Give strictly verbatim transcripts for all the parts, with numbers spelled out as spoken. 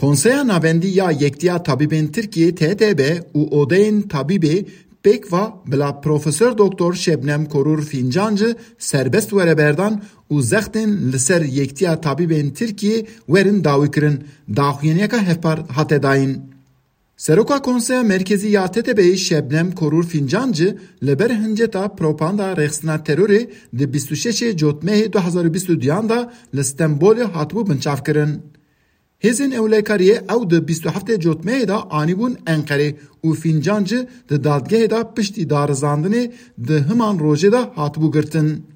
Konseya Navendî ya Yekîtiya Tabîbên Tirkiyê T T B û Odeyên Tabîbê pêkva bila Profesor Doktor Şebnem Korur Fincancı serbest were berdan û zextên li ser Yekîtiya Tabîbên Tirkiyê werin dawîkirin, daxuyaniyeke hevpar hate dayîn. Seroka Konseya Merkezî ya T T B'yê Şebnem Korur Fincancı li ber hinceta propaganda rêxistina terorê di bîst û şeşê Cotmehê du hezar û bîst û duyan de li Stenbolê hatibû binçavkirin. Hêzên ewlekariyê ew di bîst û heftê Cotmehê de anîbûn Enqerê û Fincancı di dadgehê de piştî darizandinê di himan rojê de hatibû girtin.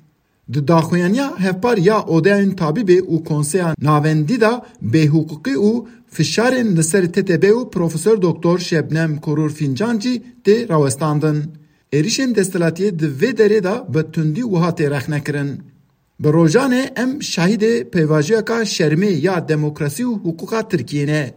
Di daxuyaniya hevpar ya Odeyên Tabîbê û Konseya Navendî de bêhiqûqî û fişarên li ser T T B û Profesor Doktor Şebnem Korur Fincancı tê rawestandin. Êrişên desthilatiyê di vê derê de bi tundî wiha tê rexnekirin. Bi rojanê em şahidê pêvajoyeke şermê ya demokrasî û hiqûqa Tirkiyê ne.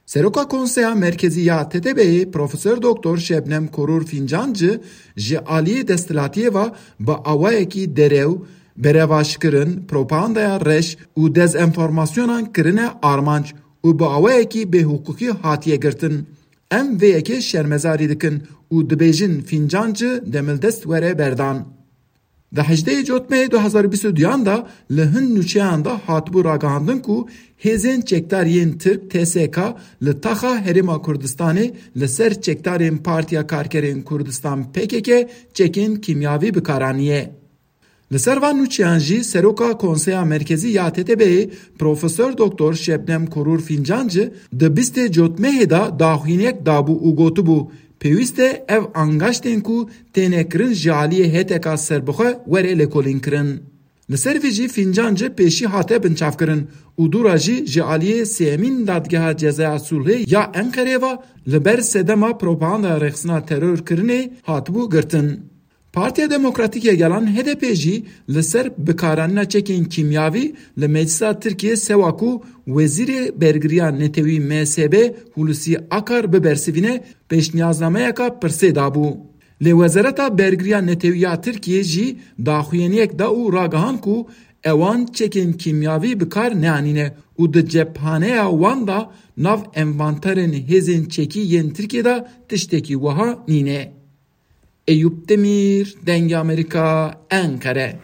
Seroka Konseya Merkezî ya T T B'yê Profesor Doktor Şebnem Korur Fincancı ji aliyê desthilatiyê ve bi awayekî derew, berevaşkirin, propagandaya reş û dezenformasyonan kirine armanc û bi awayekî bêhiqûqî hatiye girtin. Em vê yekê şermezarî dikin û dibêjin Fincancı demildest were berdan. Di hejdehê Cotmehê du hezar û bîst û duyan de li hin nûçeyan de hatibû ragihandin ku hêzên çekdar yên Tirk T S K li taxa Herêma Kurdistanê li ser çekdarên Partiya Karkerên Kurdistan P K K çekên kîmyavî bikaraniye. Li ser van nûçeyan jî Seroka Konseya Merkezî ya T T B'yê Profesor Doktor Şebnem Korur Fincancı di bîstê Cotmehê de daxuyaniyek dabû û gotibû pêwîst e ev angaştên ku têne kirin ji aliyê H T K serbixwe were lêkolînkirin. Li ser vê jî Fincancı pêşî hate binçavkirin û dûra jî ji aliyê sêyemîn Dadgeha Cezaya Sulhê ya Enqerê ve li ber sedema propaganda rêxistina terorkirinê hatibû girtin. Partiya Demokratîk ya Gelan H D P jî li ser bikaranîna çekên kîmyavî li Meclisa Tirkiyê sewa ku Wezîrê Bergiriya Netewî M S B Hulusi Akar bibersivîne pêşniyaznameyeke pirsê dabû. Lê Wezareta Bergiriya Netewî ya Tirkiyê jî daxuyaniyek da û ragihand ku ewan çekên kîmyavî bikar neanîne û di cephaneya wan de nav envanterên hêzên çekî yên Tirkiyê de tiştekî wiha nîne. Eyüp Demir, Dengê Amerîka, Enqere.